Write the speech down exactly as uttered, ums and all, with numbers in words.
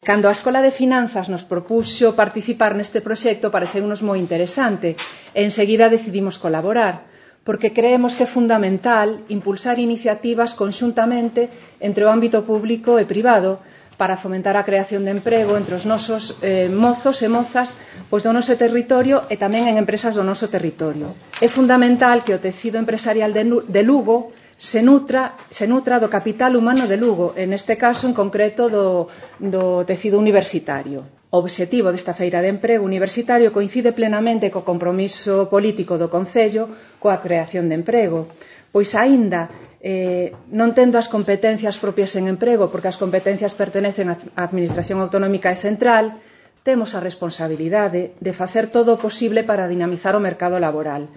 Cando a Escola de Finanzas nos propuxo participar neste proxecto, pareceunos moi interesante e enseguida decidimos colaborar, porque creemos que é fundamental impulsar iniciativas conxuntamente entre o ámbito público e privado para fomentar a creación de emprego entre os nosos eh, mozos e mozas pois do noso territorio e tamén en empresas do noso territorio. É fundamental que o tecido empresarial de, de Lugo se nutra, se nutra do capital humano de Lugo, en este caso en concreto do, do tecido universitario. O obxectivo desta feira de emprego universitario coincide plenamente co compromiso político do Concello coa creación de emprego, pois aínda eh, non tendo as competencias propias en emprego, porque as competencias pertenecen á Administración Autonómica e Central, temos a responsabilidade de facer todo o posible para dinamizar o mercado laboral.